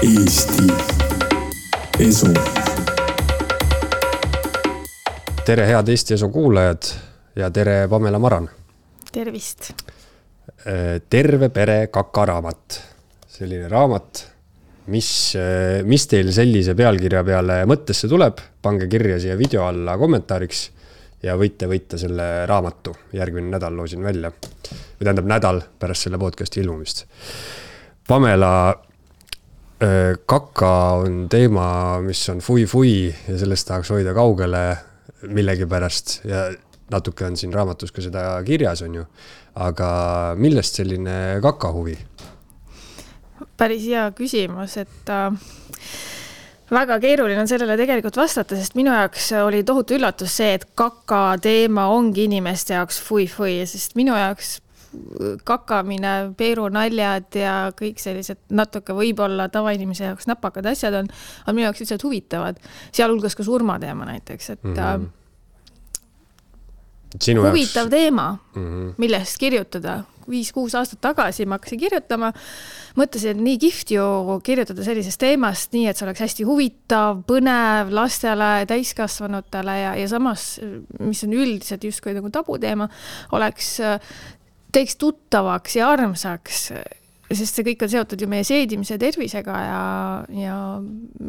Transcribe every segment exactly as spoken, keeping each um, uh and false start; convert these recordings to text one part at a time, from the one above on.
Eesti Esu. Tere head Eesti Esu kuulajad ja tere Pamela Maran. Tervist. Terve pere kakaraamat. Selline raamat, mis, mis teil sellise pealkirja peale mõttesse tuleb, pange kirja siia video alla kommentaariks ja võite võita selle raamatu. Järgmine nädal loosin välja. Või tähendab nädal pärast selle podcasti ilmumist. Pamela, kaka on teema, mis on fui-fui ja sellest tahaks hoida kaugele millegi pärast ja natuke on siin raamatus ka seda kirjas on ju. Aga millest selline kaka huvi? Päris hea küsimus, et äh, väga keeruline on sellele tegelikult vastata, sest minu jaoks oli tohutu üllatus see, et kaka teema ongi inimeste jaoks fui-fui, sest minu jaoks kakamine, peerunaljad ja kõik sellised natuke võib-olla tavainimese jaoks näpakad asjad on, on minu jaoks lihtsalt huvitavad. Sealhulgas ka surmateema näiteks, et mm-hmm. Sinu huvitav jaoks... teema, mm-hmm. millest kirjutada. Viis-kuus aastat tagasi ma hakkasin kirjutama. Mõtlesin, et nii kihvt ju kirjutada sellisest teemast, nii et see oleks hästi huvitav, põnev lastele, täiskasvanutele ja, ja samas, mis on üldiselt justkui nagu tabuteema, oleks teeks tuttavaks ja armsaks, sest see kõik on seotud ju meie seedimise tervisega ja, ja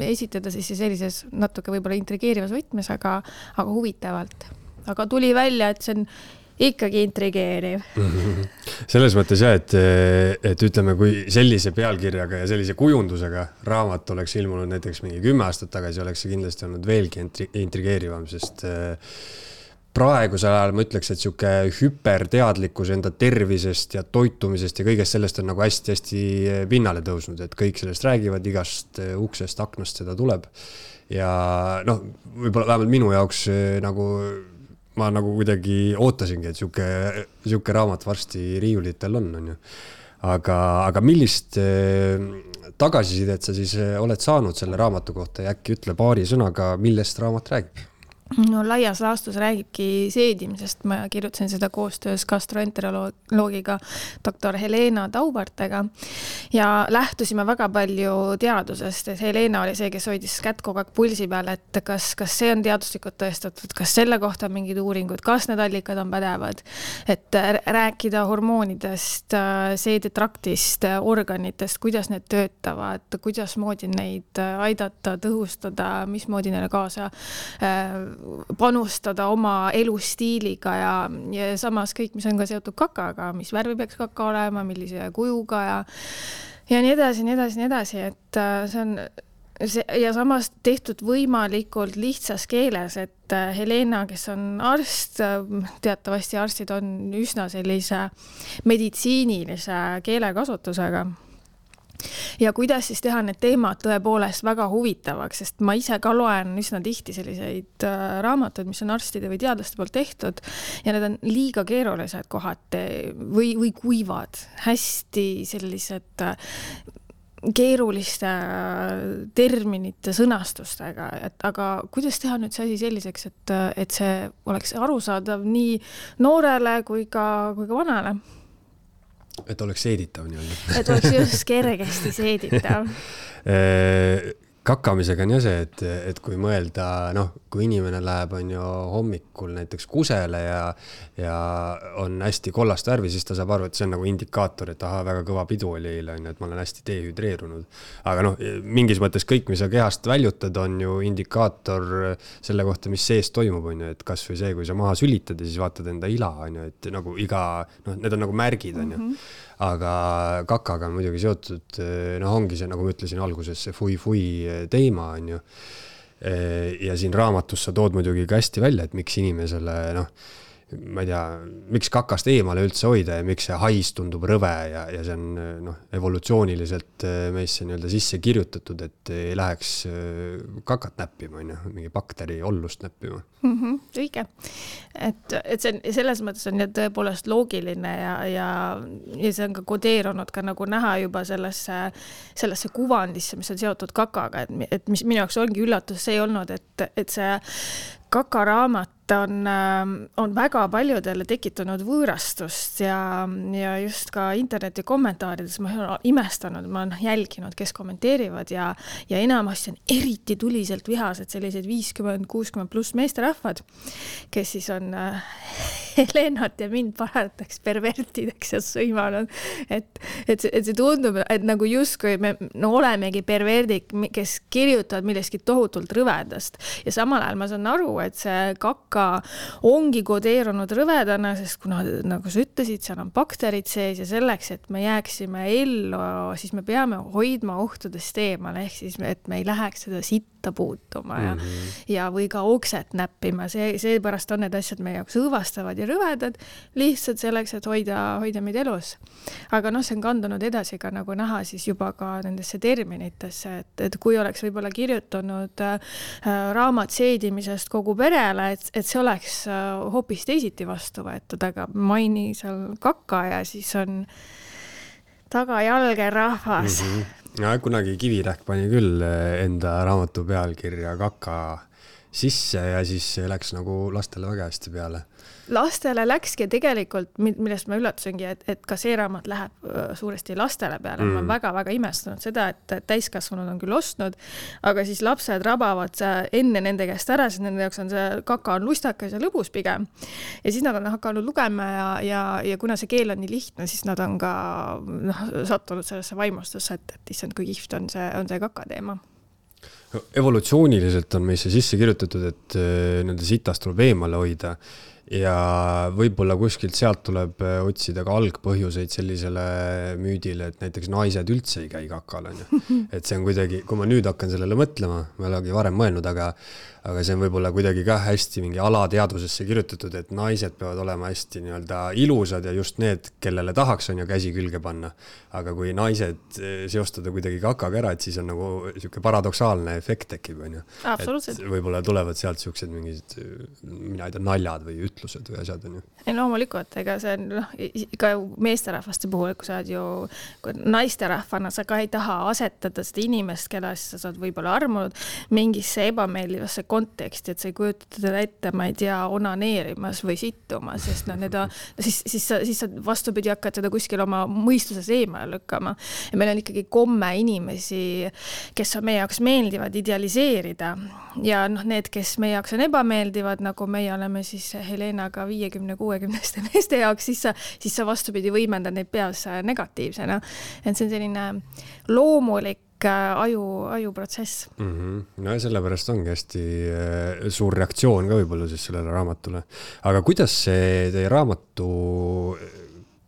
esitada siis sellises natuke võib-olla intrigeerivas võtmes, aga, aga huvitavalt. Aga tuli välja, et see on ikkagi intrigeeriv. Selles mõttes jah, et, et ütleme, kui sellise pealkirjaga ja sellise kujundusega raamat oleks ilmunud näiteks mingi kümme aastat tagasi, oleks see kindlasti olnud veelgi intrigeerivam, sest praegusel ajal ma ütleks, et siuke hüperteadlikkus enda tervisest ja toitumisest ja kõigest sellest on nagu hästi-hästi pinnale tõusnud, et kõik sellest räägivad, igast uksest, aknast seda tuleb. Ja noh, võib-olla vähemalt minu jaoks nagu ma nagu kuidagi ootasingi, et siuke, siuke raamat varsti riiulitel on, on ju. Aga, aga millist tagasisidet sa siis oled saanud selle raamatu kohta ja äkki ütle paari sõnaga, millest raamat räägib? No laias laastus räägibki seedimisest. Ma kirjutasin seda koostöös gastroenteroloogiga doktor Helena Taubartega ja lähtusime väga palju teadusest. Et Helena oli see, kes hoidis kätt kogu aeg pulsi peal, et kas, kas see on teaduslikult tõestatud, kas selle kohta on mingid uuringud, kas need allikad on pädevad, et rääkida hormoonidest, seedetraktist, organitest, kuidas need töötavad, kuidas moodi neid aidata, tõhustada, mis moodi neile kaasa panustada oma elustiiliga ja, ja samas kõik, mis on ka seotud kakaga, mis värvi peaks kaka olema, millise kujuga ja, ja nii edasi, nii edasi, nii edasi, et see on see, ja samas tehtud võimalikult lihtsas keeles, et Helena, kes on arst, teatavasti arstid on üsna sellise meditsiinilise keelekasutusega. Ja kuidas siis teha need teemad tõepoolest väga huvitavaks, sest ma ise ka loen üsna tihti selliseid raamatuid, mis on arstide või teadlaste poolt tehtud ja need on liiga keerulised kohati või, või kuivad, hästi sellised keeruliste terminite sõnastustega, et, aga kuidas teha nüüd see asi selliseks, et, et see oleks arusaadav nii noorele kui ka, kui ka vanale? Et oleks seeditav nii-öelda. Et oleks just kergesti seeditav. Kakamisega on ju see, et, et kui mõelda, noh, kui inimene läheb on ju hommikul näiteks kusele ja, ja on hästi kollast värvi, siis ta saab aru, et see on nagu indikaator, et aha, väga kõva pidu oli eile, et ma olen hästi dehüdreerunud. Aga noh, mingis mõttes kõik, mis sa kehast väljutad, on ju indikaator selle kohta, mis sees toimub, on ju, et kas või see, kui sa maha sülitad ja siis vaatad enda ila, on ju, et nagu iga, noh, need on nagu märgid, on ju. Mm-hmm. Aga kakaga on muidugi seotud, noh ongi see, nagu ma ütlesin alguses, see fui-fui teema on ju. Ja siin raamatus sa tood muidugi ka hästi välja, et miks inimesele, noh, ma ei tea, miks kakast eemale üldse hoida ja miks see hais tundub rõve ja, ja see on noh, evolutsiooniliselt meisse nii-öelda sisse kirjutatud, et ei läheks kakat näppima, on ju, mingi bakteri ollust näppima. Mm-hmm, õige. Et, et see, selles mõttes on tõepoolest loogiline ja, ja, ja see on ka kodeerunud ka nagu näha juba sellesse, sellesse kuvandisse, mis on seotud kakaga, et, et mis minu jaoks ongi üllatus, see ei olnud, et, et see kakaraamat on, on väga paljudele tekitanud võõrastust ja, ja just ka interneti kommentaarides ma olen imestanud, ma olen jälginud, kes kommenteerivad ja, ja enamasti on eriti tuliselt vihased sellised viiskümmend kuuskümmend pluss meesterahvad, kes siis on äh, Helenat ja mind parataks pervertideks ja sõimanud, et, et, et see tundub, et nagu justkui me no, olemegi perverdik, kes kirjutavad millestki tohutult rõvedast ja samal ajal ma saan aru, et see kakka ongi kodeerunud rõvedana, sest kuna, nagu sa ütlesid, seal on bakterid sees ja selleks, et me jääksime ellu, siis me peame hoidma ohtudest eemale, ehk siis, et me ei läheks seda sitta puutuma ja, mm-hmm. ja või ka okset näppima, see, seepärast on need asjad meie jaoks õõvastavad ja rõvedad, lihtsalt selleks, et hoida, hoida meid elus. Aga noh, see on kandunud edasi ka nagu näha siis juba ka nendesse terminitesse, et, et kui oleks võib-olla kirjutanud äh, raamat seedimisest kogu perele, et, et see oleks äh, hoopis teisiti vastu võetud, aga maini seal kakka ja siis on tagajalge rahvas. Mm-hmm. Ja, kunagi Kivirähk pani küll enda raamatu pealkirja kaka sisse ja siis läks nagu lastele väga hästi peale. Lastele läkski tegelikult, millest ma üllatusingi, et, et ka see raamat läheb suuresti lastele peale. Mm. Ma olen väga-väga imestanud seda, et täiskasvanud on küll ostnud, aga siis lapsed rabavad enne nende käest ära, siis nende jaoks on see kaka on lustakas ja lõbus pigem. Ja siis nad on hakanud lugema ja, ja, ja kuna see keel on nii lihtne, siis nad on ka noh, sattunud sellesse vaimustusse, et, et issand, kui kihvt on see, on see kaka teema. Evolutsiooniliselt on meisse sisse kirjutatud, et nende sitast tuleb eemale hoida ja võib-olla kuskilt sealt tuleb otsida ka algpõhjuseid sellisele müüdile, et näiteks naised üldse ei käi kakal. Et see on kuidagi, kui ma nüüd hakkan sellele mõtlema, ma olegi varem mõelnud, aga, aga see on võib-olla kuidagi ka hästi mingi alateadvusesse kirjutatud, et naised peavad olema hästi nii-öelda ilusad ja just need, kellele tahaks on ju käsi külge panna. Aga kui naised seostada kuidagi kakaga ära, et siis on nagu siuke paradoksaalne efekt tekib. Absoluutselt. Et võib-olla tulevad sealt siuksed mingid, mina ei tea, naljad või ütlused või asjad on ju. Ei, loomulikult, ega see on noh, ka meesterahvaste puhul, kui sa oled ju naisterahvana, sa ka ei taha asetada seda inimest, kelle sa saad võib-olla armunud mingisse ebameeldivasse konteksti, et sa ei kujuta teda ette, ma ei tea, onaneerimas või sittumas, sest no, need on, siis, siis, sa, siis sa vastupidi hakkad seda kuskil oma mõistuses eemale lükkama. Ja meil on ikkagi komme inimesi, kes on meie jaoks meeldivad idealiseerida ja noh, need, kes meie jaoks on ebameeldivad, nagu meie oleme siis Helenaga viiekümne kuuekümneste meeste jaoks, siis sa, siis sa vastupidi võimendad neid peas negatiivsena. Et see on selline loomulik aju, ajuprotsess. Mm-hmm. No ja sellepärast ongi hästi suur reaktsioon ka võib-olla siis sellele raamatule. Aga kuidas see teie raamatu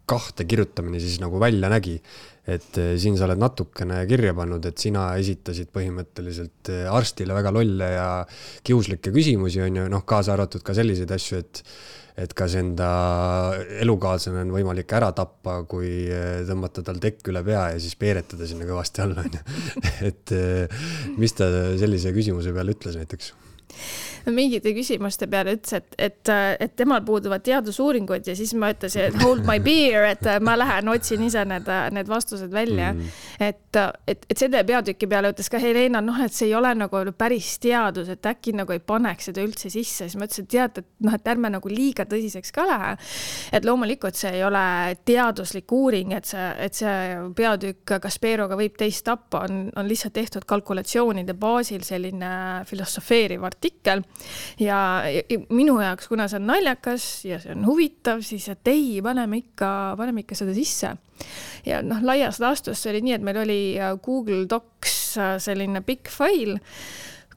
kahte kirjutamine siis nagu välja nägi? Et siin sa oled natukene kirja pannud, et sina esitasid põhimõtteliselt arstile väga lolle ja kiuslikke küsimusi on ju, noh, kaasa arvatud ka selliseid asju, et et kas enda elukaaslane on võimalik ära tappa, kui tõmmata tal tekk üle pea ja siis peeretada sinna kõvasti alla. Et mis ta sellise küsimuse peale ütles näiteks? Mingite küsimuste peale ütles, et, et, et temal puuduvad teadusuuringud ja siis ma ütlesin, et hold my beer, et ma lähen otsin ise need, need vastused välja. Mm. Et, et, et selle peatüki peale ütles ka Helena, noh, et see ei ole nagu päris teadus, et äkki nagu ei paneks seda üldse sisse. Siis ma ütlesin, et tead, et, noh, et ärme nagu liiga tõsiseks ka lähe. Et loomulikult see ei ole teaduslik uuring, et see, et see peatükk Kasperoga võib teist tappa, on, on lihtsalt tehtud kalkulatsioonide baasil selline filosofeeriv artikkel. Ja, ja minu jaoks, kuna see on naljakas ja see on huvitav, siis et ei, paneme ikka, paneme ikka seda sisse. Ja noh, laias laastus see oli nii, et meil oli Google Docs selline pikk fail,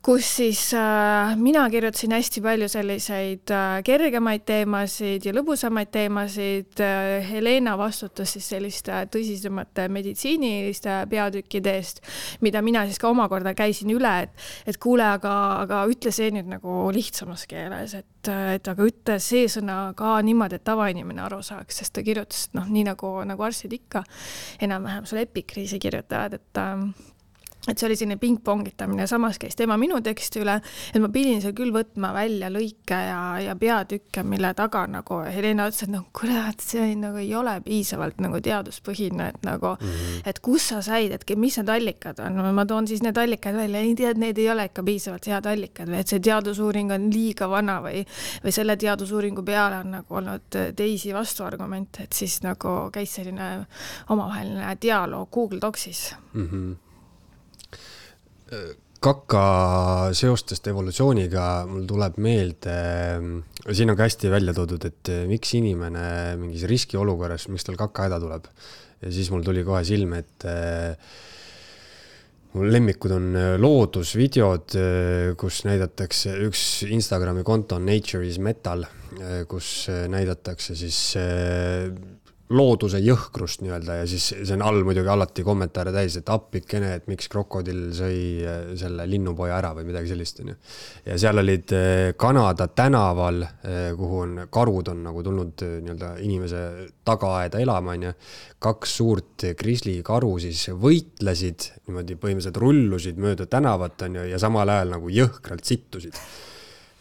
kus siis äh, mina kirjutasin hästi palju selliseid äh, kergemaid teemasid ja lõbusamaid teemasid. Äh, Helena vastutas siis selliste tõsisemate meditsiiniliste peatükkide eest, mida mina siis ka omakorda käisin üle, et, et kuule, aga, aga ütle see nüüd nagu lihtsamas keeles, et, et aga ütle see sõna ka niimoodi, et tavainimene aru saaks, sest ta kirjutas, noh, nii nagu, nagu arstid ikka enam-vähem sulle epikriisi kirjutavad, et äh, et see oli selline pingpongitamine, samas käis tema minu teksti üle, et ma pidin seal küll võtma välja lõike ja, ja peatükke, mille taga nagu Helena ütles, et no kurat, see nagu ei ole piisavalt nagu teaduspõhine, et nagu, mm-hmm. et kus sa said, et mis need allikad on, ma toon siis need allikad välja, ei tea, et need ei ole ikka piisavalt head allikad või et see teadusuuring on liiga vana või, või selle teadusuuringu peale on nagu olnud teisi vastuargumente, et siis nagu käis selline omavaheline dialoog Google Docsis. Mm-hmm. Kaka seostest evolutsiooniga mul tuleb meelde, siin on ka hästi välja toodud, et miks inimene mingis riskiolukorras, miks tal kaka häda tuleb. Ja siis mul tuli kohe silme, et mul lemmikud on loodusvideod, kus näidatakse, üks Instagrami konto on Nature is Metal, kus näidatakse siis looduse jõhkrust nii-öelda ja siis see on all muidugi alati kommentaare täis, et appikene, et miks krokodill sõi selle linnupoja ära või midagi sellist. Ja seal olid Kanada tänaval, kuhu on karud on nagu tulnud nii-öelda inimese tagaaeda elama, on ja kaks suurt grisli karu siis võitlesid, niimoodi põhimõtteliselt rullusid mööda tänavat on ja samal ajal nagu jõhkralt sittusid.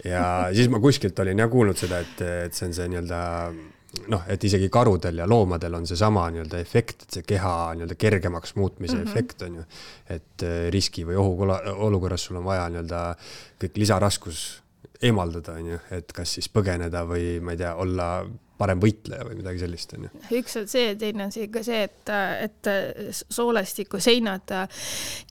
Ja siis ma kuskilt olin ja kuulnud seda, et, et see on see nii-öelda noh, et isegi karudel ja loomadel on see sama nii-öelda efekt, et see keha nii-öelda kergemaks muutmise mm-hmm. efekt on ju, et riski või ohu olukorras sul on vaja nii-öelda kõik lisaraskus eemaldada on ju, et kas siis põgeneda või ma ei tea, olla parem võitleja või midagi sellist on ju. Üks on see, teine on see, see et, et soolestiku seinad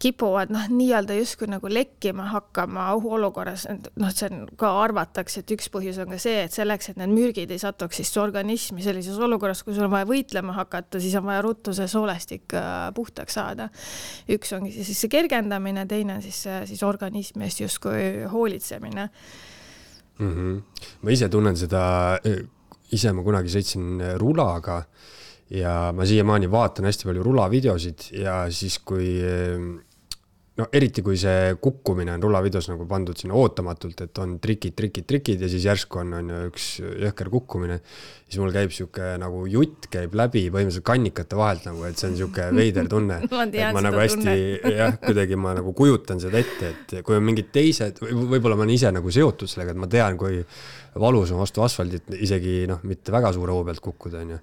kipuvad noh, nii-öelda justkui nagu lekkima hakkama ohuolukorras. Noh, see on ka arvatakse, et üks põhjus on ka see, et selleks, et need mürgid ei satuks siis organismi sellises olukorras, kui sul on vaja võitlema hakata, siis on vaja ruttu see soolestik puhtaks saada. Üks ongi siis see kergendamine, teine on siis, siis organismi eest justkui hoolitsemine. Mm-hmm. Ma ise tunnen seda ise ma kunagi sõitsin rulaga ja ma siiamaani vaatan hästi palju rulavideosid ja siis kui, no eriti kui see kukkumine on rulavideos nagu pandud sinna ootamatult, et on trikid, trikid, trikid ja siis järsku on, on üks jõhker kukkumine, siis mul käib siuke nagu jutt käib läbi põhimõtteliselt kannikate vahelt nagu, et see on siuke veider tunne. ma tean ma seda nagu hästi, tunne. jah, kuidagi ma nagu kujutan seda ette, et kui on mingid teised, võib-olla ma olen ise nagu seotud sellega, et ma tean, kui valus on vastu asfaldit, isegi noh, mitte väga suure hoo pealt kukkuda, on ju.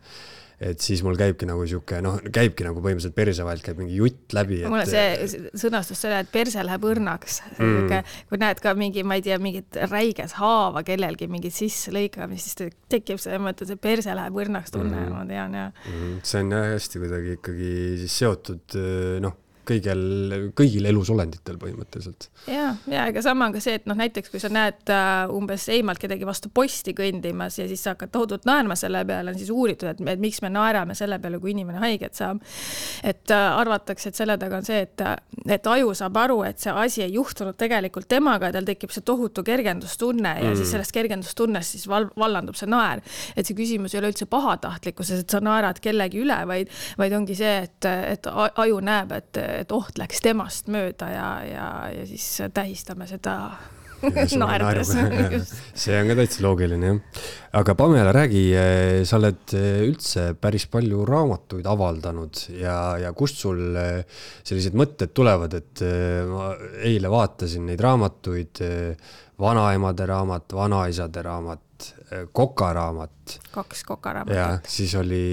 Et siis mul käibki nagu siuke, noh, käibki nagu põhimõtteliselt perse vahelt käib mingi jutt läbi. Et... Mulle see sõnastus selle, et perse läheb õrnaks. Mm. Kui näed ka mingi, ma ei tea, mingit räiges haava kellelgi mingit sisse lõikama, siis tekib see mõte, et perse läheb õrnaks tunne, mm. ma tean. Ja. Mm. See on hästi kuidagi ikkagi siis seotud, noh, kõigil, kõigil elusolenditel põhimõtteliselt. Ja, ja ega sama on ka see, et noh, näiteks kui sa näed uh, umbes eemalt kedagi vastu posti kõndimas ja siis sa hakkad tohutult naerma selle peale, on siis uuritud, et, et miks me naerame selle peale, kui inimene haiget saab. Et uh, arvatakse, et selle taga on see, et, et aju saab aru, et see asi ei juhtunud tegelikult temaga ja tal tekib see tohutu kergendustunne ja mm. siis sellest kergendustunnest siis val, vallandub see naer. Et see küsimus ei ole üldse pahatahtlikkuses, et sa naerad kellegi üle, vaid, vaid ongi see, et, et aju näeb, et et oht läks temast mööda ja, ja, ja siis tähistame seda naerdes. See on ka täitsa loogiline, jah. Aga Pamela, räägi, sa oled üldse päris palju raamatuid avaldanud ja, ja kust sul sellised mõtted tulevad, et ma eile vaatasin neid raamatuid, vanaemade raamat, vanaisade raamat, kokaraamat. Kaks kokaraamat. Ja siis oli...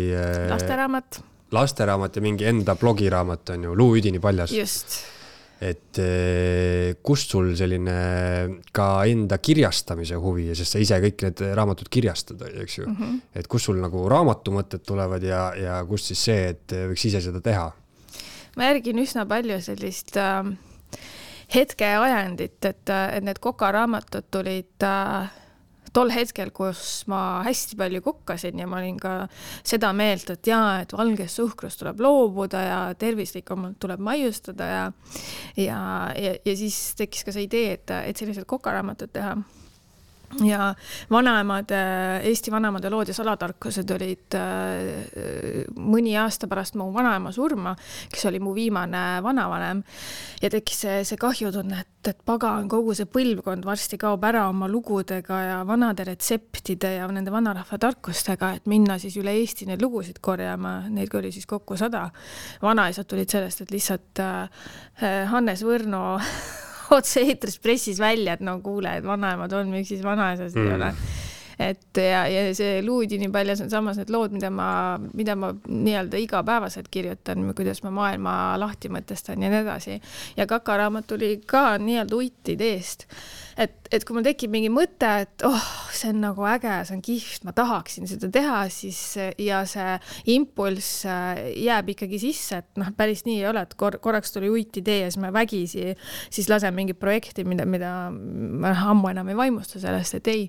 Lasteraamat. lasteraamat ja mingi enda blogiraamat on ju, Luu Üdini paljas. Just. Et kust sul selline ka enda kirjastamise huvi, sest sa ise kõik need raamatud kirjastad, eks ju. Mm-hmm. Et kust sul nagu raamatumõtted tulevad ja, ja kust siis see, et võiks ise seda teha? Ma järgin üsna palju sellist äh, hetke ajendit, et, et need kokaraamatud tulid äh, tol hetkel, kus ma hästi palju kukkasin ja ma olin ka seda meelt, et jaa, et valgest suhkrust tuleb loobuda ja tervislikumalt tuleb maiustada ja, ja, ja, ja siis tekkis ka see idee, et, et sellised kokaraamatud teha. ja vanaemade, Eesti vanaemade lood ja salatarkused olid mõni aasta pärast mu vanaema surma, kes oli mu viimane vanavanem ja tekkis see, see kahjutunne, et, et pagan kogu see põlvkond varsti kaob ära oma lugudega ja vanade retseptide ja nende vanarahva tarkustega, et minna siis üle Eesti neid lugusid korjama, neid oli siis kokku sada. Vanaisad tulid sellest, et lihtsalt Hannes Võrno otse eetris pressis välja, et no kuule, et vanaemad on, miks siis vanaisast mm. ei ole. Et ja, ja see luudi nii palju, see on samas need lood, mida ma, mida ma nii-öelda igapäevaselt kirjutan, kuidas ma maailma lahti mõtestan ja nii edasi. Ja kakaraamat tuli ka nii-öelda uitti ideest. Et, et kui mul tekib mingi mõte, et oh, see on nagu äge, see on kihvt, ma tahaksin seda teha, siis ja see impulss jääb ikkagi sisse, et noh, päris nii ei ole, et kor korraks tuli uit idee ja siis ma vägisi siis lasen mingi projekti, mida, mida ma ammu enam ei vaimusta sellest, et ei.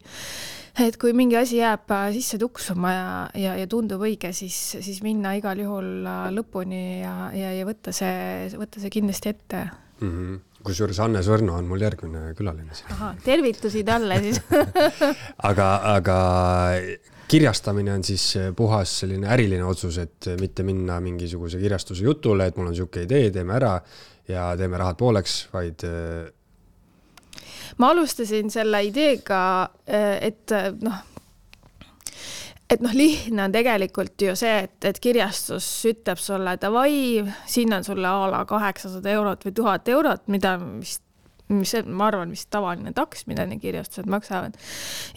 Et kui mingi asi jääb sisse tuksuma ja, ja, ja tundub õige, siis, siis minna igal juhul lõpuni ja, ja, ja võtta, see, võtta see kindlasti ette. Mm-hmm. Kusjuures Hannes Võrno on mul järgmine külaline siin. Aha, tervitusi talle siis. aga, aga kirjastamine on siis puhas selline äriline otsus, et mitte minna mingisuguse kirjastuse jutule, et mul on siuke idee, teeme ära ja teeme rahad pooleks, vaid ma alustasin selle ideega, et noh, et noh, lihtne on tegelikult ju see, et, et kirjastus ütleb sulle, et vai, siin on sulle a la kaheksasada eurot või tuhat eurot, mida vist mis ma arvan, mis tavaline taks, mida need kirjastused maksavad.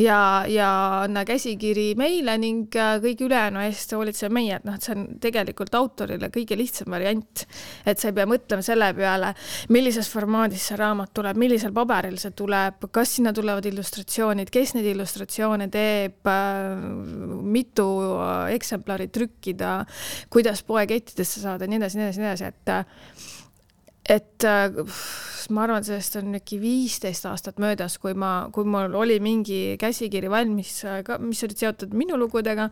Ja, ja anna käsikiri meile ning kõik ülejäänu eest hoolitseb meie, et noh, see on tegelikult autorile kõige lihtsam variant, et sa ei pea mõtlema selle peale, millises formaadis see raamat tuleb, millisel paberil see tuleb, kas sinna tulevad illustratsioonid, kes neid illustratsioone teeb, mitu eksemplari trükkida, kuidas poekettidesse saada, nii edasi, nii edasi, nii edasi, et et ma arvan, sellest on äkki viisteist aastat möödas, kui ma, kui mul oli mingi käsikiri valmis, mis olid seotud minu lugudega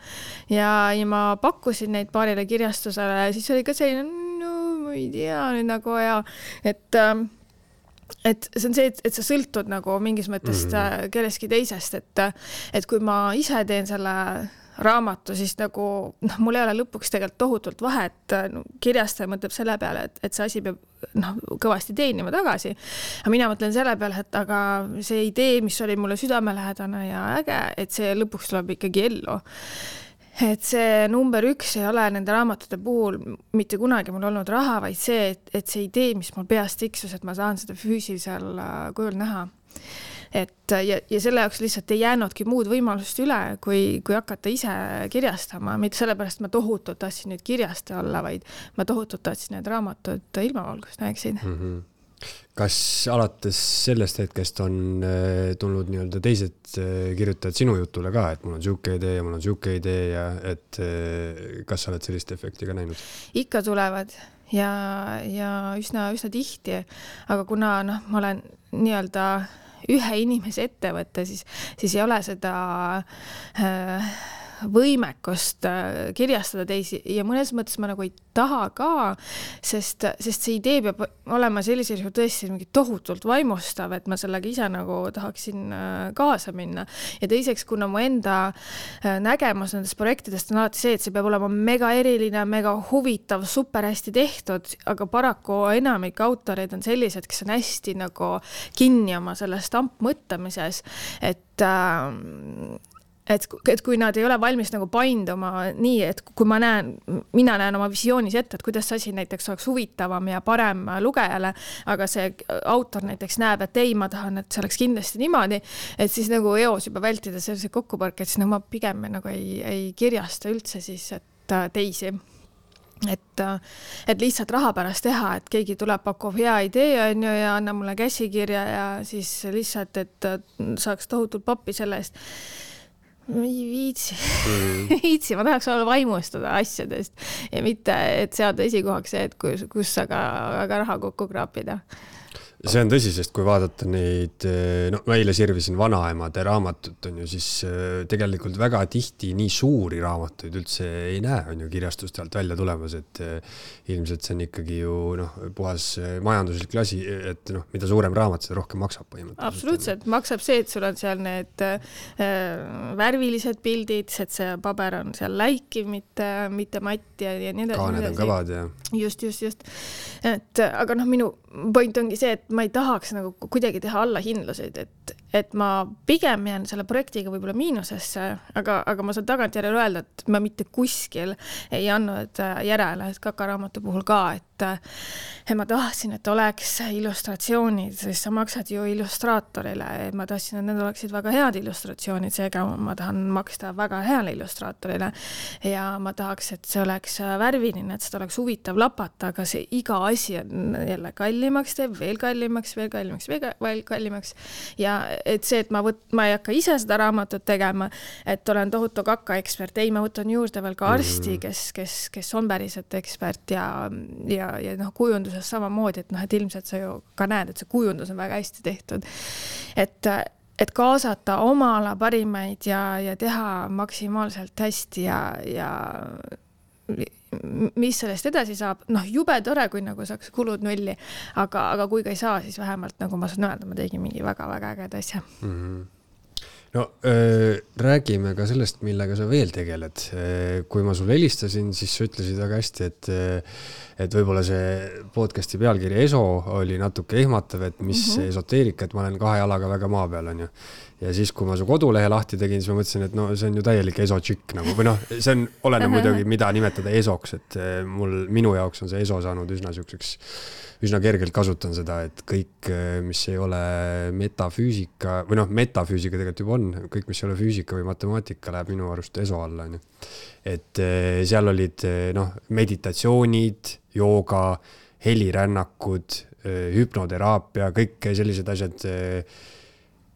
ja, ja ma pakkusin neid paarile kirjastusele, siis oli ka selline, no ma ei tea nüüd nagu ja, et et see on see, et, et sa sõltud nagu mingis mõttes mm-hmm. kelleski teisest, et, et kui ma ise teen selle raamatu, siis nagu, noh, mul ei ole lõpuks tegelikult tohutult vahe, et no, kirjastaja mõtleb selle peale, et, et see asi peab noh, kõvasti teenima tagasi. Aga mina mõtlen selle peale, et aga see idee, mis oli mulle südamelähedane ja äge, et see lõpuks tuleb ikkagi ellu. Et see number üks ei ole nende raamatute puhul mitte kunagi mul olnud raha, vaid see, et, et see idee, mis mul peast tiksus, et ma saan seda füüsilisel kujul näha. Et ja, ja selle jaoks lihtsalt ei jäänudki muud võimalust üle, kui, kui hakata ise kirjastama. Mitte sellepärast ma tohutult tahtsin nüüd kirjastaja olla, vaid ma tohutult tahtsin need raamatud ilmavalgust näeksid. Mm-hmm. Kas alates sellest hetkest on tulnud nii-öelda teised kirjutajad sinu jutule ka, et mul on siuke idee ja mul on siuke idee ja et kas sa oled sellist efekti ka näinud? Ikka tulevad ja, ja üsna, üsna tihti, aga kuna noh, ma olen nii-öelda ühe inimese ettevõtte, siis, siis ei ole seda äh, võimekust kirjastada teisi ja mõnes mõttes ma nagu ei taha ka, sest, sest see idee peab olema sellisel juhul tõesti mingi tohutult vaimustav, et ma sellega ise nagu tahaksin kaasa minna. Ja teiseks, kuna mu enda nägemus nendest projektidest on alati see, et see peab olema mega eriline, mega huvitav, super hästi tehtud, aga paraku enamik autoreid on sellised, kes on hästi nagu kinni oma sellest ampmõttamises, et äh, Et, et kui nad ei ole valmis nagu painduma nii, et kui ma näen, mina näen oma visioonis ette, et kuidas see asi näiteks oleks huvitavam ja parem lugejale, aga see autor näiteks näeb, et ei, ma tahan, et see oleks kindlasti niimoodi, et siis nagu eos juba vältida sellise kokkupõrke, et siis nagu ma pigem nagu ei, ei kirjasta üldse siis et teisi. Et, et lihtsalt raha pärast teha, et keegi tuleb, pakub hea idee on ju, ja anna mulle käsikirja ja siis lihtsalt, et saaks tohutult pappi selle eest. Ma ei viitsi. Mm. viitsi, ma tahaks olla vaimustada asjadest ja mitte, et seada esikohaks see, et kus, kus aga, aga raha kokku kraapida. see on tõsi, sest kui vaadata neid, no ma eile sirvisin vanaemade raamatut, on ju, siis tegelikult väga tihti nii suuri raamatuid üldse ei näe, on ju, kirjastust alt välja tulemas, et ilmselt see on ikkagi ju noh, puhas majanduslik lasi, et noh, mida suurem raamat, seda rohkem maksab põhimõtteliselt. Absoluutselt, maksab see, et sul on seal need äh, värvilised pildid, et see paber on seal läikiv, mitte, mitte matt ja, ja nii edasi. Kaaned on kõvad ja... Just, just, just. Et, aga noh, minu point ongi see, et ma ei tahaks nagu kuidagi teha allahindluseid, et, et ma pigem jään selle projektiga võib-olla miinusesse, aga, aga ma saan tagantjärele öelda, et ma mitte kuskil ei andnud järele, et kakaraamatu puhul ka, et, et ma tahtsin, et oleks illustratsioonid, sest sa maksad ju illustraatorile, et ma tahtsin, et need oleksid väga head illustratsioonid, seega ma tahan maksta väga heale illustraatorile ja ma tahaks, et see oleks värviline, et seda oleks huvitav lapata, aga see iga asi on jälle kallimaks teeb, veel kallimaks, veel kallimaks, veel kallimaks ja et see, et ma, võt, ma ei hakka ise seda raamatut tegema, et olen tohutu kaka ekspert, ei, ma võtan juurde veel ka arsti, kes, kes, kes on päriselt ekspert ja, ja, ja noh, kujunduses samamoodi, et noh, et ilmselt sa ju ka näed, et see kujundus on väga hästi tehtud. Et, et kaasata oma ala parimaid ja, ja teha maksimaalselt hästi ja, ja mis sellest edasi saab, noh, jube tore, kui nagu saaks kulud nulli, aga, aga kui ka ei saa, siis vähemalt nagu ma saan öelda, ma tegin mingi väga-väga ägeda asja. Mm-hmm. No äh, räägime ka sellest, millega sa veel tegeled. Kui ma sulle helistasin, siis sa ütlesid väga hästi, et, et võib-olla see podcasti pealkiri ESO oli natuke ehmatav, et mis mm-hmm. esoteerika, et ma olen kahe jalaga väga maa peal, on ju. Ja siis, kui ma su kodulehe lahti tegin, siis ma mõtlesin, et no see on ju täielik ESO-tšikk nagu, või noh, see on oleneb muidugi, mida nimetada ESOks, et mul, minu jaoks on see ESO saanud üsna siukseks, üsna kergelt kasutan seda, et kõik, mis ei ole metafüüsika, või noh, metafüüsika tegelikult juba on, kõik, mis ei ole füüsika või matemaatika, läheb minu arust ESO alla. On ju. Et seal olid noh, meditatsioonid, jooga, helirännakud, hüpnoteraapia, kõik sellised asjad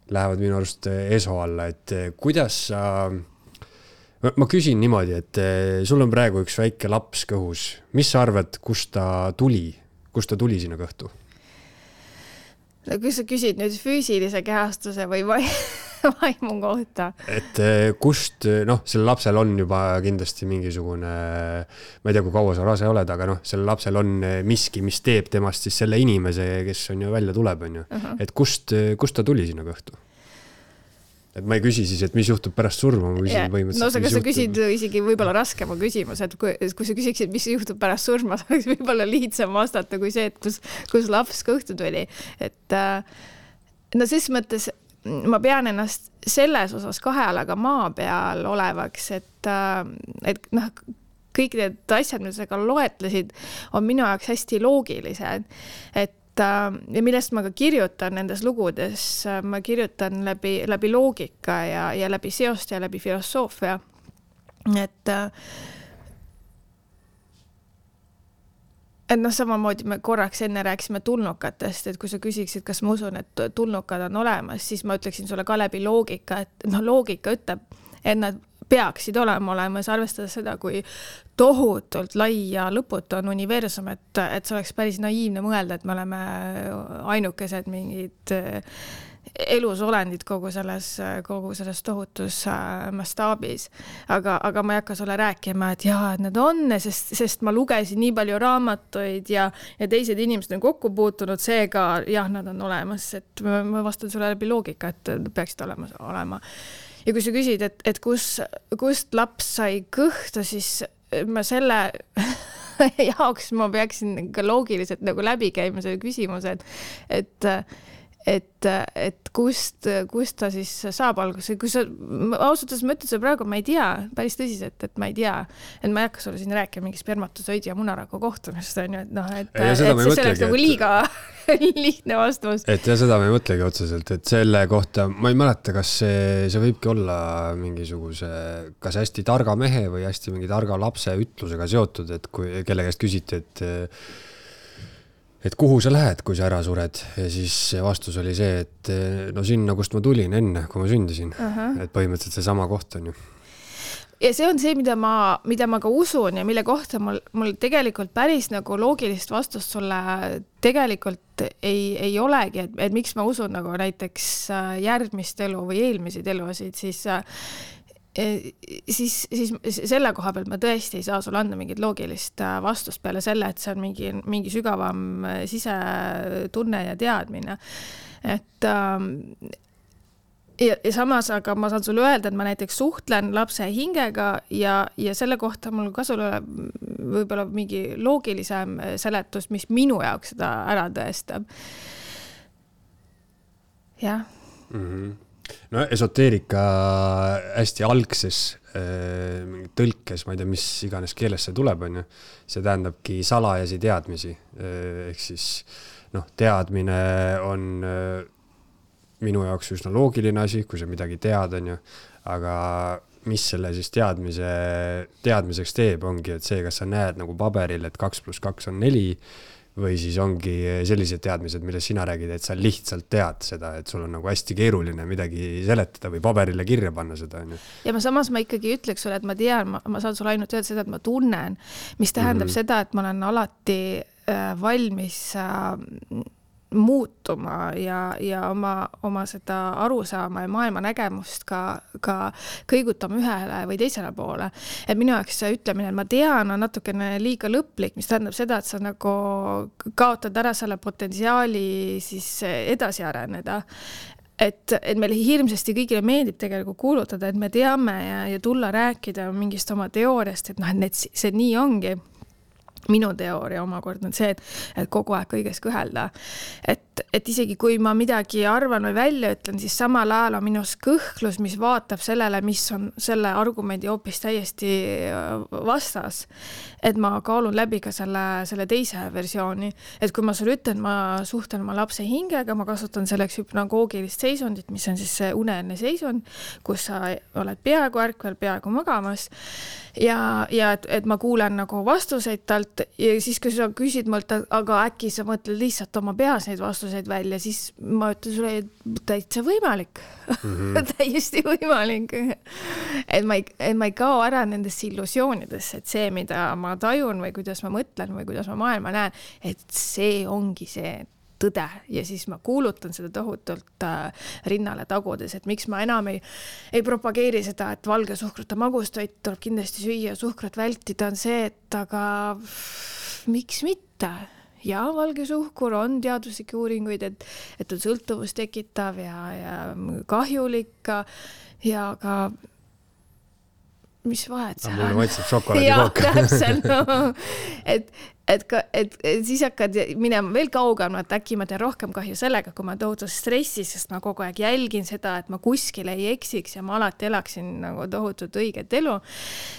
lähevad minu arust ESO alla, et kuidas sa, ma küsin niimoodi, et sul on praegu üks väike laps kõhus, mis sa arvad, kust ta tuli, kust ta tuli sinna kõhtu? Kui sa küsid nüüd füüsilise kehastuse või vaimu kohta? Et kust, noh, selle lapsel on juba kindlasti mingisugune, ma ei tea, kui kaua sa rase oled, aga noh, selle lapsel on miski, mis teeb temast siis selle inimese, kes on ju välja tuleb, on ju. Uh-huh. Et kust, kust ta tuli sinna kõhtu? Et ma ei küsi siis, et mis juhtub pärast surma, ma küsin yeah. põhimõtteliselt, no, mis sa küsid isegi võib-olla raskema küsimus, et kui, kui sa küsiksid, mis juhtub pärast surma, oleks võib-olla lihtsam vastata kui see, et kus, kus laps kõhtu tuli. Et no ses mõttes ma pean ennast selles osas kahe alaga maa peal olevaks, et, et noh, kõik need asjad, mis sa ka loetlesid, on minu jaoks hästi loogilised, et ja millest ma ka kirjutan nendes lugudes, ma kirjutan läbi, läbi loogika ja, ja läbi seost ja läbi filosoofia. Et, et noh, samamoodi me korraks enne rääkisime tulnukatest, et kui sa küsiksid, kas ma usun, et tulnukad on olemas, siis ma ütleksin sulle ka läbi loogika, et noh, loogika ütleb, et nad peaksid olema olemas, arvestades seda, kui tohutult lai ja lõputu on universum, et, et see oleks päris naiivne mõelda, et me oleme ainukesed mingid elusolendid kogu selles, kogu selles tohutus mastaabis. Aga, aga ma ei hakka sulle rääkima, et jaa, et need on, sest, sest ma lugesin nii palju raamatuid ja, ja teised inimesed on kokku puutunud, seega jah, nad on olemas, et ma, ma vastan sulle läbi loogika, et peaksid olemas olema. Ja kui sa küsid, et, et kus, kust laps sai kõhtu, siis ma selle jaoks ma peaksin ka loogiliselt nagu läbi käima selle küsimuse, et, et et, et kust, kust ta siis saab alguse. Kui sa, ausalt ma ütlen, praegu ma ei tea, päris tõsiselt, et ma ei tea, et ma ei hakka sulle siin rääkima mingi spermatosoidi ja munaraku kohtumist, on ju, et noh, et, et see oleks nagu liiga lihtne vastus. Et ja seda me ei mõtlegi otseselt, et selle kohta, ma ei mäleta, kas see, see võibki olla mingisuguse, kas hästi targa mehe või hästi mingi targa lapse ütlusega seotud, et kui kelle käest küsiti, et et kuhu sa lähed, kui sa ära sured, ja siis vastus oli see, et no sinna, kust ma tulin enne, kui ma sündisin. Uh-huh. Et põhimõtteliselt see sama koht on ju. ja see on see, mida ma, mida ma ka usun ja mille kohta mul, mul tegelikult päris nagu loogilist vastust sulle tegelikult ei, ei olegi, et, et miks ma usun nagu näiteks järgmist elu või eelmiseid elusid, siis siis, siis selle koha pealt ma tõesti ei saa sulle anda mingit loogilist vastust peale selle, et see on mingi, mingi sügavam sisetunne ja teadmine. Et ja, ja samas, aga ma saan sulle öelda, et ma näiteks suhtlen lapse hingega ja, ja selle kohta mul ka sulle võib-olla mingi loogilisem seletus, mis minu jaoks seda ära tõestab. Jah. Mhm. No esoteerika hästi algses äh, tõlkes, ma ei tea, mis iganes keeles see tuleb, on ju. See tähendabki salajasi teadmisi. Äh, ehk siis noh, teadmine on äh, minu jaoks üsna loogiline asi, kui sa midagi tead, on ju. Aga mis selle siis teadmise, teadmiseks teeb, ongi, et see, kas sa näed nagu paberil, et kaks pluss kaks on neli, või siis ongi sellised teadmised, mille sina räägid, et sa lihtsalt tead seda, et sul on nagu hästi keeruline midagi seletada või paberile kirja panna seda. Ja ma samas ma ikkagi ütleks sulle, et ma tean, ma, ma saan sulle ainult öelda seda, et ma tunnen, mis tähendab mm-hmm. seda, et ma olen alati äh, valmis äh, muutuma ja, ja oma, oma seda arusaama ja maailma nägemust ka, ka kõigutama ühele või teisele poole. Et minu jaoks see ütlemine, et ma tean, on natukene liiga lõplik, mis tähendab seda, et sa nagu kaotad ära selle potentsiaali siis edasi areneda. Et, et meil hirmsasti kõigile meeldib tegelikult kuulutada, et me teame ja, ja tulla rääkida mingist oma teooriast, et noh, et see nii ongi. Minu teooria omakord on see, et, et kogu aeg kõiges kõhelda. Et, et isegi kui ma midagi arvan või välja ütlen, siis samal ajal on minus kõhklus, mis vaatab sellele, mis on selle argumendi hoopis täiesti vastas. Et ma kaalun läbi ka selle, selle teise versiooni. Et kui ma sulle ütlen, ma suhtlen oma lapse hingega, ma kasutan selleks hüpnagoogilist seisundit, mis on siis see uneline seisund, kus sa oled peaaegu ärkvel, peaaegu magamas. Ja, ja et, et ma kuulen nagu vastuseid talt ja siis, kui sa küsid mult, aga äkki sa mõtled lihtsalt oma peas neid vastuseid välja, siis ma ütlen sulle, et täitsa võimalik. Mm-hmm. Täiesti võimalik. Et ma, ei, et ma ei kao ära nendesse illusioonidesse, et see, mida ma tajun või kuidas ma mõtlen või kuidas ma maailma näen, et see ongi see tõde ja siis ma kuulutan seda tohutult äh, rinnale tagudes, et miks ma enam ei, ei propageeri seda, et valge suhkrut ja magustoit tuleb kindlasti süüa, suhkrut vältida, on see, et aga miks mitte? Ja valge suhkur on teaduslikke uuringuid, et, et on sõltuvust tekitav ja, ja kahjulik ja ka mis vahet see on? Mulle maitseb šokolaadikook. Ja, täpselt. No. Et, et, et, et siis hakkad minema veel kaugem, et äkki ma teen rohkem kahju sellega, kui ma tohutu stressis, sest ma kogu aeg jälgin seda, et ma kuskil ei eksiks ja ma alati elaksin nagu tohutut õiget elu.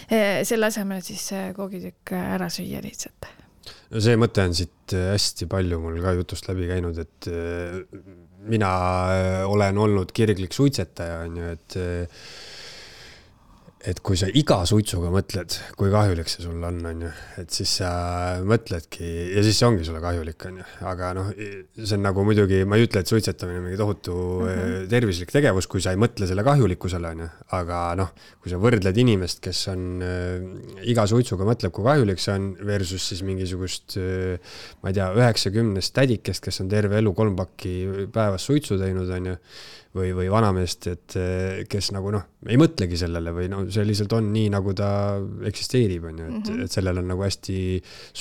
Selle asemel siis koogitükk ära süüa lihtsalt. No see mõte on siit hästi palju mul ka jutust läbi käinud, et mina olen olnud kirglik suitsetaja, on ju, et et kui sa iga suitsuga mõtled, kui kahjulik see sul on, on ju, et siis sa mõtledki, ja siis see ongi sulle kahjulik, on ju, aga noh, see on nagu muidugi, ma ei ütle, et suitsetamine on mingi tohutu mm-hmm. tervislik tegevus, kui sa ei mõtle selle kahjulikkusele, on ju, aga noh, kui sa võrdled inimest, kes on äh, iga suitsuga mõtleb, kui kahjulik see on, versus siis mingisugust, äh, ma ei tea, üheksakümnest tädikest, kes on terve elu kolm pakki päevas suitsu teinud, on ju, või, või vanameest, et kes nagu noh, ei mõtlegi sellele või no see lihtsalt on nii, nagu ta eksisteerib, on ju, et, mm-hmm. et sellel on nagu hästi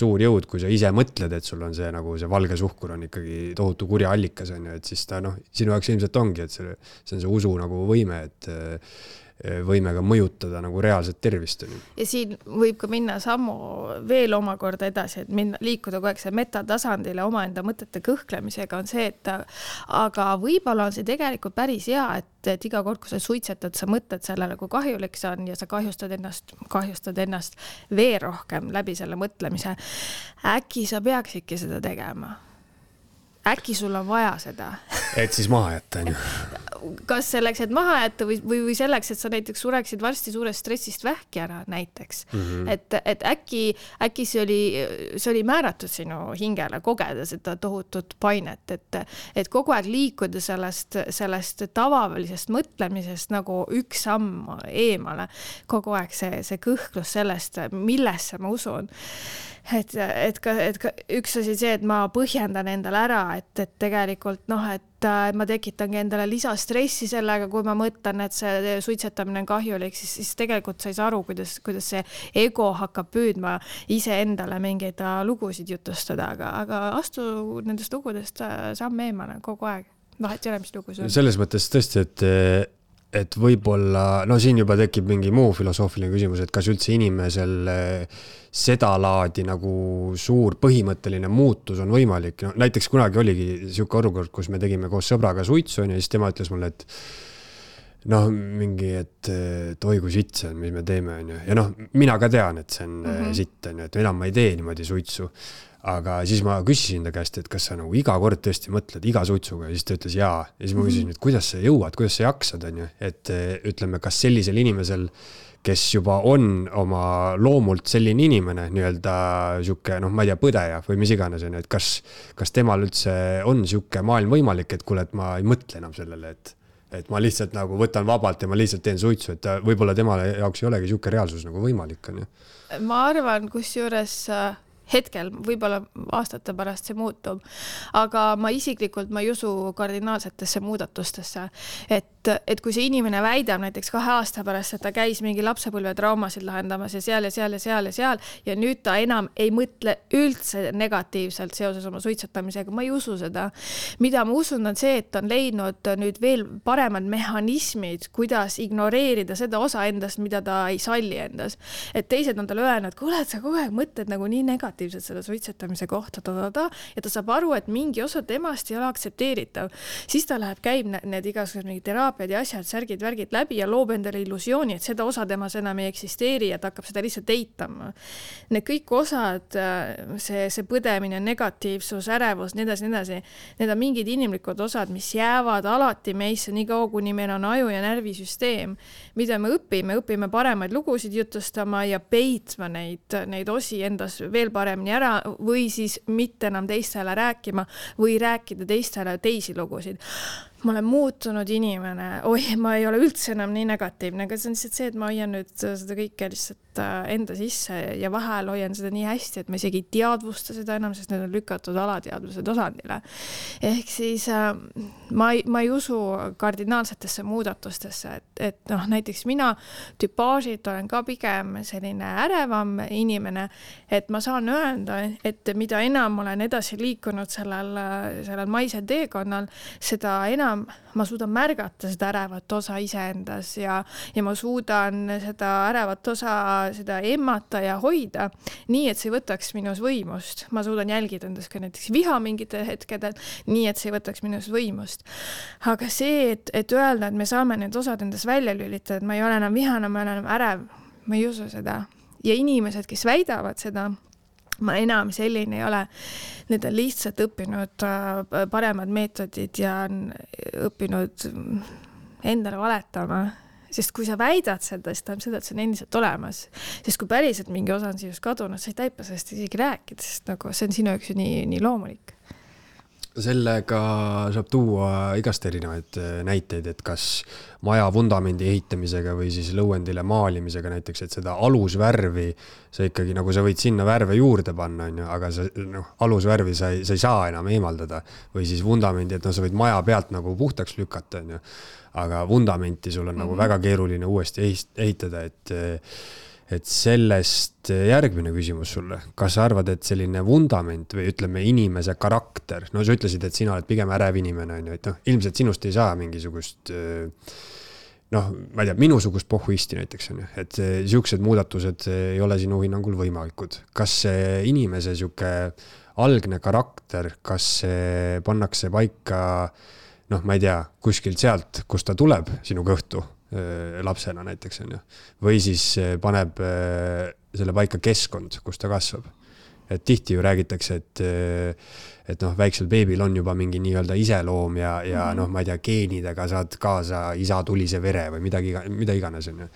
suur jõud, kui sa ise mõtled, et sul on see nagu see valge suhkur on ikkagi tohutu kurja allikas, on ju, et siis ta noh, sinu jaoks ilmselt ongi, et see, see on see usu nagu võime, et võimega mõjutada nagu reaalset tervist. Ja siin võib ka minna sammu veel omakorda edasi, et minna, liikuda kogu aeg see metatasandile omaenda mõtete kõhklemisega on see, et aga võib-olla on see tegelikult päris hea, et, et iga kord, kui sa suitsetad, sa mõtled sellele, kui kahjulik see on ja sa kahjustad ennast, kahjustad ennast veel rohkem läbi selle mõtlemise. Äkki sa peaksidki seda tegema? Äkki sul on vaja seda? Et siis maha jätta, on ju. kas selleks, et maha jätta või, või, või selleks, et sa näiteks sureksid varsti suurest stressist vähki ära näiteks. Mm-hmm. Et, et äkki, äkki see oli, see oli määratud sinu hingele kogeda seda tohutut painet, et, et kogu aeg liikuda sellest, sellest tavalisest mõtlemisest nagu üks samm eemale. Kogu aeg see, see kõhklus sellest, millesse ma usun. Et, et, ka, et ka üks asi see, et ma põhjendan endale ära, et, et tegelikult noh, et ma tekitangi endale lisastressi sellega, kui ma mõtlen, et see suitsetamine on kahjulik, siis, siis tegelikult sa ei saa aru, kuidas, kuidas see ego hakkab püüdma ise endale mingeid lugusid jutustada, aga, aga astu nendest lugudest samm eemale kogu aeg. Vahet ei ole, mis lugu see on. Selles mõttes tõesti, et et võib-olla, no siin juba tekib mingi muu filosoofiline küsimus, et kas üldse inimesel seda laadi nagu suur põhimõtteline muutus on võimalik. No, näiteks kunagi oligi siuke olukord, kus me tegime koos sõbraga suitsu ja siis tema ütles mulle, et noh, mingi, et, et oi kui sitt see on, mis me teeme. Ja noh, mina ka tean, et see on mm-hmm. sitt, et enam ma ei tee niimoodi suitsu. Aga siis ma küsisin ta käest, et kas sa nagu iga kord tõesti mõtled iga suitsuga ja siis ta ütles jaa. Ja siis ma küsisin, et kuidas sa jõuad, kuidas sa jaksad, on ju? Et ütleme, kas sellisel inimesel, kes juba on oma loomult selline inimene, nii-öelda siuke, noh, ma ei tea, põdeja või mis iganes, on ju, et kas, kas temal üldse on siuke maailm võimalik, et kuule, et ma ei mõtle enam sellele, et, et ma lihtsalt nagu võtan vabalt ja ma lihtsalt teen suitsu, et võib-olla temale jaoks ei olegi siuke reaalsus nagu võimalik, on ju? Ma arvan, kus juures hetkel, võib-olla aastate pärast see muutub, aga ma isiklikult ma ei usu kardinaalsetesse muudatustesse, et, et kui see inimene väidab näiteks kahe aasta pärast, et ta käis mingi lapsepõlve traumasid lahendamas ja seal ja seal ja seal ja seal ja nüüd ta enam ei mõtle üldse negatiivselt seoses oma suitsetamisega, ma ei usu seda. Mida ma usun on see, et on leidnud nüüd veel paremad mehhanismid, kuidas ignoreerida seda osa endast, mida ta ei salli endas. Et teised on tal öelnud, kuule, et sa kogu aeg mõtled nagu nii negatiivselt selle suitsetamise kohta ta, ta, ta, ja ta saab aru, et mingi osa temast ei ole aktsepteeritav. Siis ta läheb, käib need igasugused mingi teraapiad ja asjad, särgid, värgid läbi ja loob endale illusiooni, et seda osa temas enam ei eksisteeri ja ta hakkab seda lihtsalt eitama. Need kõik osad, see, see põdemine, negatiivsus, ärevus, nii edasi, nii edasi, need on mingid inimlikud osad, mis jäävad alati meisse nii kaua, kuni meil on aju- ja närvisüsteem, mida me õpime, õpime paremaid lugusid jutustama ja peitma neid, neid osi endas veel paremini ära või siis mitte enam teistele rääkima või rääkida teistele teisi lugusid. Ma olen muutunud inimene, oi, ma ei ole üldse enam nii negatiivne, aga see on lihtsalt see, et ma hoian nüüd seda kõike lihtsalt enda sisse ja vahel hoian seda nii hästi, et ma isegi ei teadvusta seda enam, sest need on lükatud alateadvuse tasandile. Ehk siis ma ei, ma ei usu kardinaalsetesse muudatustesse, et, et noh, näiteks mina tüpaažid olen ka pigem selline ärevam inimene, et ma saan öelda, et mida enam olen edasi liikunud sellel, sellel maisel teekonnal, seda enam ma suudan märgata seda ärevat osa iseendas ja, ja ma suudan seda ärevat osa seda emmata ja hoida nii, et see võtaks minus võimust. Ma suudan jälgida endas ka näiteks viha mingite hetkedel, nii, et see võtaks minus võimust. Aga see, et, et öelda, et me saame need osad endas välja lülitada, et ma ei ole enam vihane, ma olen enam ärev, ma ei usu seda. Ja inimesed, kes väidavad seda, ma enam selline ei ole. Need on lihtsalt õppinud paremad meetodid ja on õppinud endale valetama. Sest kui sa väidad seda, siis tähendab seda, et see on endiselt olemas. Sest kui päriselt mingi osa on sinust kadunud, sa ei taipa sellest isegi rääkida, sest nagu see on sinu üks nii, nii loomulik. Sellega saab tuua igast erinevaid näiteid, et kas maja vundamendi ehitamisega või siis lõuendile maalimisega näiteks, et seda alusvärvi sa ikkagi, nagu sa võid sinna värve juurde panna, on ju, aga sa, noh, alusvärvi sa ei, sa ei saa enam eemaldada või siis vundamendi, et no, sa võid maja pealt nagu puhtaks lükata, on ju, aga vundamenti sul on mm-hmm. nagu väga keeruline uuesti ehitada, et et sellest järgmine küsimus sulle, kas sa arvad, et selline vundament või ütleme inimese karakter, no sa ütlesid, et sina oled pigem ärev inimene, on ju, et noh, ilmselt sinust ei saa mingisugust noh, ma ei tea, minusugust pohhuisti näiteks on ju, et siuksed muudatused ei ole sinu hinnangul võimalikud. Kas see inimese siuke algne karakter, kas see pannakse paika noh, ma ei tea, kuskilt sealt, kus ta tuleb sinu kõhtu lapsena näiteks on ju, või siis paneb selle paika keskkond, kus ta kasvab. et tihti ju räägitakse, et et noh, väiksel beebil on juba mingi nii-öelda iseloom ja, ja mm -hmm. noh, ma ei tea, geenidega saad kaasa isa tulise vere või midagi, mida iganes on ju.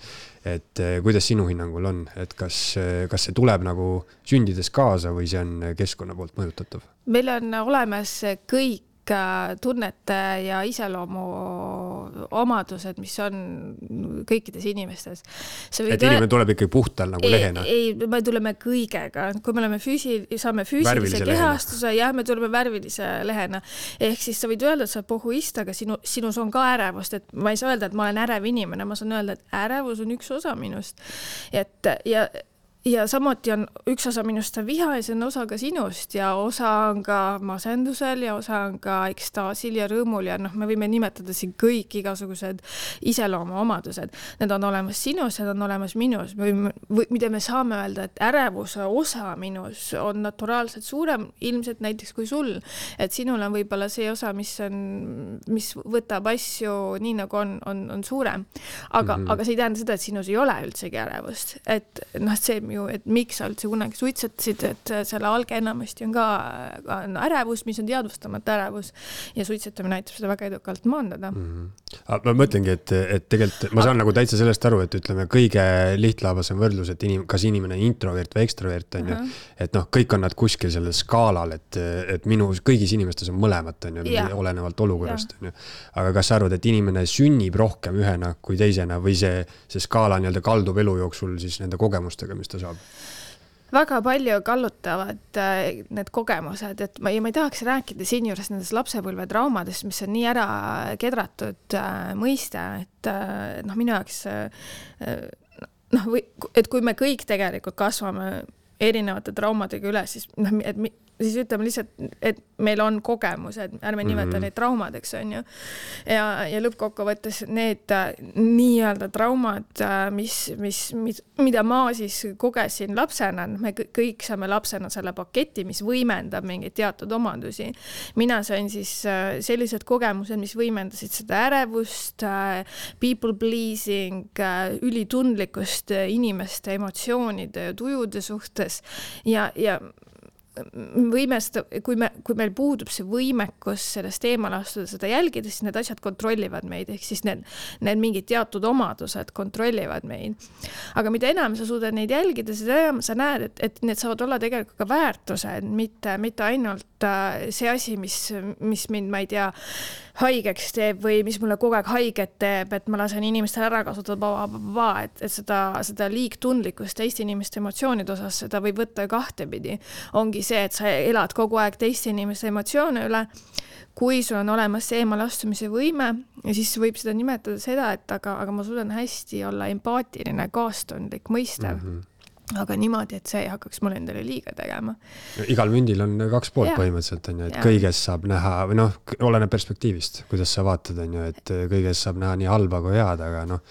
Et kuidas sinu hinnangul on, et kas, kas see tuleb nagu sündides kaasa või see on keskkonna poolt mõjutatav? Meil on olemas kõik tunnete ja iseloomu omadused, mis on kõikides inimestes. Et inimene tuleb ikkagi puhtal nagu ei, lehena? Ei, me tuleme kõigega. Kui me oleme füüsi, saame füüsilise kehastuse ja me tuleme värvilise lehena. Ehk siis sa võid öelda, et sa oled pohhuist, aga sinu, sinus on ka ärevust. Et ma ei saa öelda, et ma olen ärev inimene. Ma saan öelda, et ärevus on üks osa minust. Et, ja Ja samuti on üks osa minust on viha ja see on osa ka sinust ja osa on ka masendusel ja osa on ka ekstaasil ja rõõmul ja noh, me võime nimetada siin kõik igasugused iseloomu omadused. Need on olemas sinus, need on olemas minus. Või, mida me saame öelda, et ärevuse osa minus on naturaalselt suurem ilmselt näiteks kui sul. Et sinul on võib-olla see osa, mis, on, mis võtab asju nii nagu on, on, on suurem. Aga, mm-hmm. aga see ei tähenda seda, et sinus ei ole üldsegi ärevust. Et noh, see ju, et miks sa üldse kunagi suitsetasid, et selle alge enamasti on ka, ka ärevus, mis on teadvustamata ärevus ja suitsetamine näitab seda väga edukalt maandada. Mm-hmm. Ma mõtlengi, et, et tegelikult ma saan nagu täitsa sellest aru, et ütleme kõige lihtlaabasem võrdlus, et inim, kas inimene on introvert või ekstrovert on uh-huh. ju, et noh, kõik on nad kuskil sellel skaalal, et, et minu kõigis inimestes on mõlemat on ju, yeah. olenevalt olukorrast yeah. on ju. Aga kas sa arvad, et inimene sünnib rohkem ühena kui teisena või see, see skaala nii-öelda kaldub elu jooksul siis nende kogemustega, mis ta saab? Väga palju kallutavad need kogemused, et ma ei, ma ei tahaks rääkida siin juures nendest lapsepõlve traumadest, mis on nii ära kedratud mõiste, et noh, minu jaoks noh, või, et kui me kõik tegelikult kasvame erinevate traumadega üle, siis noh, et siis ütleme lihtsalt, et meil on kogemused, ärme nimeta mm-hmm. neid traumadeks, on ju. Ja, ja lõppkokkuvõttes need nii-öelda traumad, mis, mis, mis, mida ma siis kogesin lapsena, me kõik saame lapsena selle paketi, mis võimendab mingeid teatud omadusi. Mina sain siis sellised kogemused, mis võimendasid seda ärevust, people pleasing, ülitundlikust inimeste emotsioonide ja tujude suhtes ja, ja võimest, kui, me, kui meil puudub see võimekus sellest eemal astuda seda jälgida, siis need asjad kontrollivad meid, ehk siis need, need mingid teatud omadused kontrollivad meid. Aga mida enam sa suudad neid jälgida, seda enam sa näed, et, et need saavad olla tegelikult ka väärtused, mitte, mitte ainult see asi, mis, mis mind, ma ei tea, haigeks teeb või mis mulle kogu aeg haiget teeb, et ma lasen inimestel ära kasutada, et, et seda, seda liigtundlikkust teiste inimeste emotsioonide osas, seda võib võtta kahtepidi. Ongi see, et sa elad kogu aeg teiste inimeste emotsioone üle, kui sul on olemas see eemal astumise võime ja siis võib seda nimetada seda, et aga, aga ma suudan hästi olla empaatiline, kaastundlik, mõistev. Mm-hmm. Aga niimoodi, et see ei hakkaks mul endale liiga tegema. Igal mündil on kaks poolt ja. Põhimõtteliselt, on ju, et ja. Kõiges saab näha, või noh, oleneb perspektiivist, kuidas sa vaatad, on ju, et kõiges saab näha nii halba kui head, aga noh,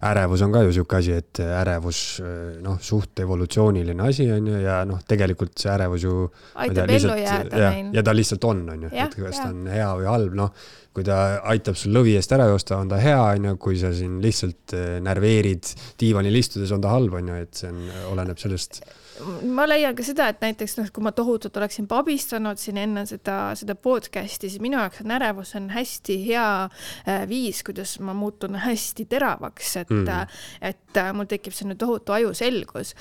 ärevus on ka ju siuke asi, et ärevus, noh, suht evolutsiooniline asi, on ju, ja noh, tegelikult see ärevus ju aitab tea, ellu jääda ja, meil. Ja ta lihtsalt on, on ju, et kas ta on hea või halb, noh, kui ta aitab sul lõvi eest ära joosta, on ta hea, on ju, kui sa siin lihtsalt närveerid diivanil istudes, on ta halb, on ju, et see on, oleneb sellest. Ma leian ka seda, et näiteks noh, kui ma tohutult oleksin pabistanud siin enne seda, seda podcasti, siis minu jaoks on ärevus on hästi hea viis, kuidas ma muutun hästi teravaks, et, mm. et mul tekib selline tohutu ajuselgus.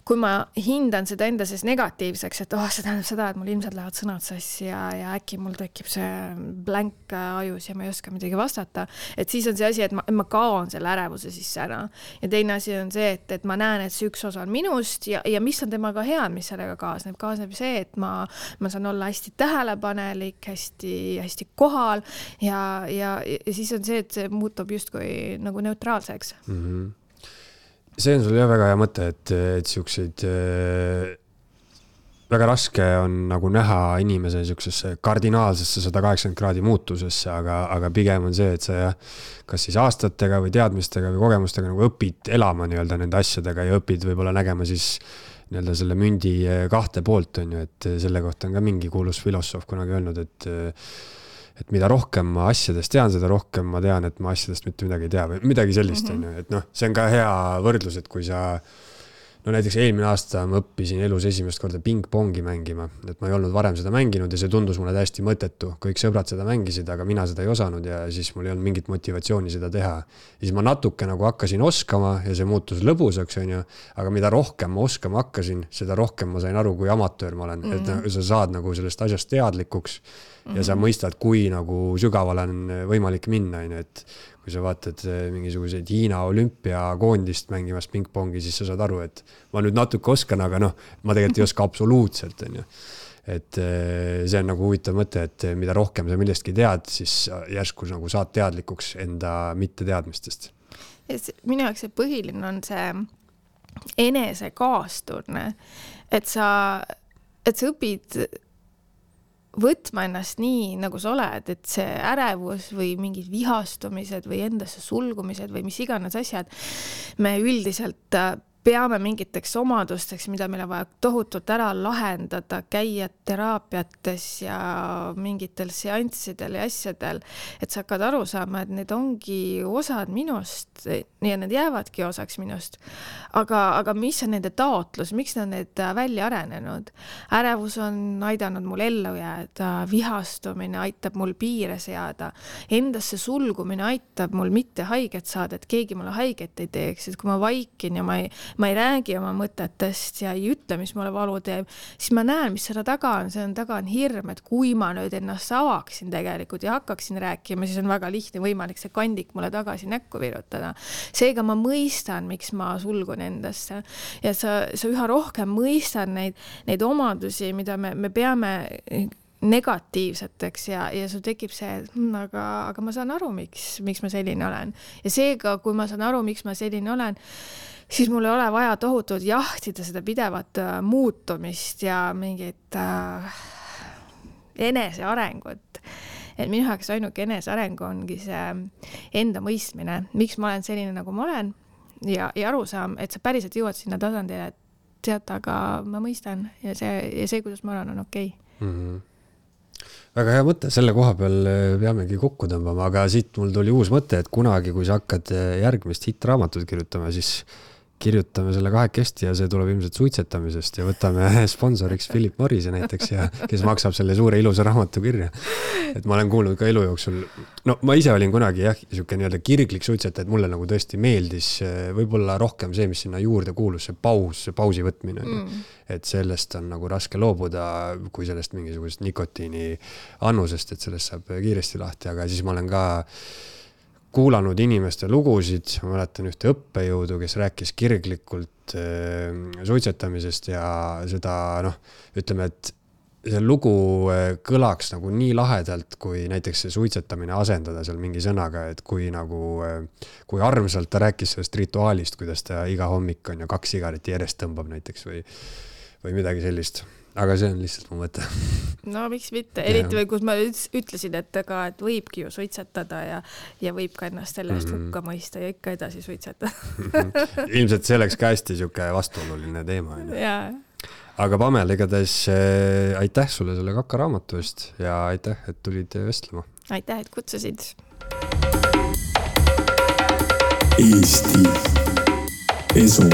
Kui ma hindan seda enda sees negatiivseks, et oh, see tähendab seda, et mul ilmselt lähevad sõnad sassi ja, ja äkki mul tekib see blank ajus ja ma ei oska midagi vastata, et siis on see asi, et ma, ma kaon selle ärevuse sisse ära. Ja teine asi on see, et, et ma näen, et see üks osa on minust ja, ja mis on temaga hea, mis sellega kaasneb. Kaasneb see, et ma, ma saan olla hästi tähelepanelik, hästi, hästi kohal ja, ja, ja siis on see, et see muutub justkui nagu neutraalseks. Mm-hmm. See on sul jah väga hea mõte, et, et siukseid äh, väga raske on nagu näha inimese siuksesse kardinaalsesse sada kaheksakümmend kraadi muutusesse, aga, aga pigem on see, et sa kas siis aastatega või teadmistega või kogemustega nagu õpid elama nii-öelda nende asjadega ja õpid võib-olla nägema siis nii-öelda selle mündi kahte poolt on ju, et selle kohta on ka mingi kuulus filosoof kunagi öelnud, et et mida rohkem ma asjadest tean, seda rohkem ma tean, et ma asjadest mitte midagi ei tea või midagi sellist mm-hmm. on ju, et noh, see on ka hea võrdlus, et kui sa no näiteks eelmine aasta ma õppisin elus esimest korda ping-pongi mängima, et ma ei olnud varem seda mänginud ja see tundus mulle täiesti mõttetu. Kõik sõbrad seda mängisid, aga mina seda ei osanud ja siis mul ei olnud mingit motivatsiooni seda teha. Ja siis ma natuke nagu hakkasin oskama ja see muutus lõbusaks, on ju, aga mida rohkem ma oskama hakkasin, seda rohkem ma sain aru, kui amatöör ma olen. Mm-hmm. Et sa saad nagu sellest asjast teadlikuks ja sa mõistad, kui nagu sügaval on võimalik minna, et kui sa vaatad mingisuguseid Hiina olümpiakoondist mängimas ping-pongi, siis sa saad aru, et ma nüüd natuke oskan, aga noh, ma tegelikult ei oska absoluutselt. On ju. Et see on nagu huvitav mõte, et mida rohkem sa millestki tead, siis järsku nagu saad teadlikuks enda mitte teadmistest. Minu jaoks see põhiline on see enese kaasturne, et sa, et sa õpid võtma ennast nii, nagu sa oled, et see ärevus või mingid vihastumised või endasse sulgumised või mis iganes asjad, me üldiselt peame mingiteks omadusteks, mida meil on vaja tohutult ära lahendada, käia teraapiates ja mingitel seanssidel ja asjadel, et sa hakkad aru saama, et need ongi osad minust ja need jäävadki osaks minust. Aga, aga mis on nende taotlus, miks nad need välja arenenud? Ärevus on aidanud mul ellu jääda, vihastumine aitab mul piire seada, endasse sulgumine aitab mul mitte haiget saada, et keegi mulle haiget ei teeks, et kui ma vaikin ja ma ei ma ei räägi oma mõtetest ja ei ütle, mis mulle valu teeb, siis ma näen, mis seda taga on. See on taga on hirm, et kui ma nüüd ennast avaksin tegelikult ja hakkaksin rääkima, siis on väga lihtne võimalik see kandik mulle tagasi näkku virutada. Seega ma mõistan, miks ma sulgun endasse. Ja sa, sa üha rohkem mõistan neid, neid omadusi, mida me, me peame negatiivseteks ja, ja sul tekib see, aga, aga ma saan aru, miks, miks ma selline olen. Ja seega, kui ma saan aru, miks ma selline olen, siis mul ei ole vaja tohutult jahtida seda pidevat äh, muutumist ja mingit äh, enesearengut. Et minu jaoks ainuke eneseareng ongi see enda mõistmine, miks ma olen selline, nagu ma olen ja, ja aru saam, et sa päriselt jõuad sinna tasandile, et tead, aga ma mõistan ja see, ja see kuidas ma olen, on okei. Mm-hmm. Väga hea mõte, selle koha peal peamegi kokku tõmbama, aga siit mul tuli uus mõte, et kunagi, kui sa hakkad järgmist hitraamatut kirjutama, siis kirjutame selle kahekesti ja see tuleb ilmselt suitsetamisest ja võtame sponsoriks Philip Morrise näiteks, ja, kes maksab selle suure ilusa raamatu kirja. Et ma olen kuulnud ka elu jooksul, no ma ise olin kunagi jah, niisugune nii-öelda kirglik suitseta, et mulle nagu tõesti meeldis võib-olla rohkem see, mis sinna juurde kuulus, see paus, see pausi võtmine. Mm. Et sellest on nagu raske loobuda, kui sellest mingisugust nikotiini annusest, et sellest saab kiiresti lahti, aga siis ma olen ka kuulanud inimeste lugusid, ma mäletan ühte õppejõudu, kes rääkis kirglikult äh, suitsetamisest ja seda, noh, ütleme, et see lugu kõlaks nagu nii lahedalt, kui näiteks see suitsetamine asendada seal mingi sõnaga, et kui nagu, kui armsalt ta rääkis sellest rituaalist, kuidas ta iga hommik on ja kaks sigareti järjest tõmbab näiteks või, või midagi sellist. Aga see on lihtsalt mu mõte. No miks mitte, eriti või kus ma ütlesin, et, aga, et võibki ju suitsetada ja, ja võib ka ennast selle eest hukka mõista ja ikka edasi suitsetada. Ilmselt see oleks ka hästi siuke vastuoluline teema. Jaa. Aga Pamel, igatahes aitäh sulle selle Kaka raamatu eest ja aitäh, et tulid vestlema. Aitäh, et kutsusid. Eesti Esu.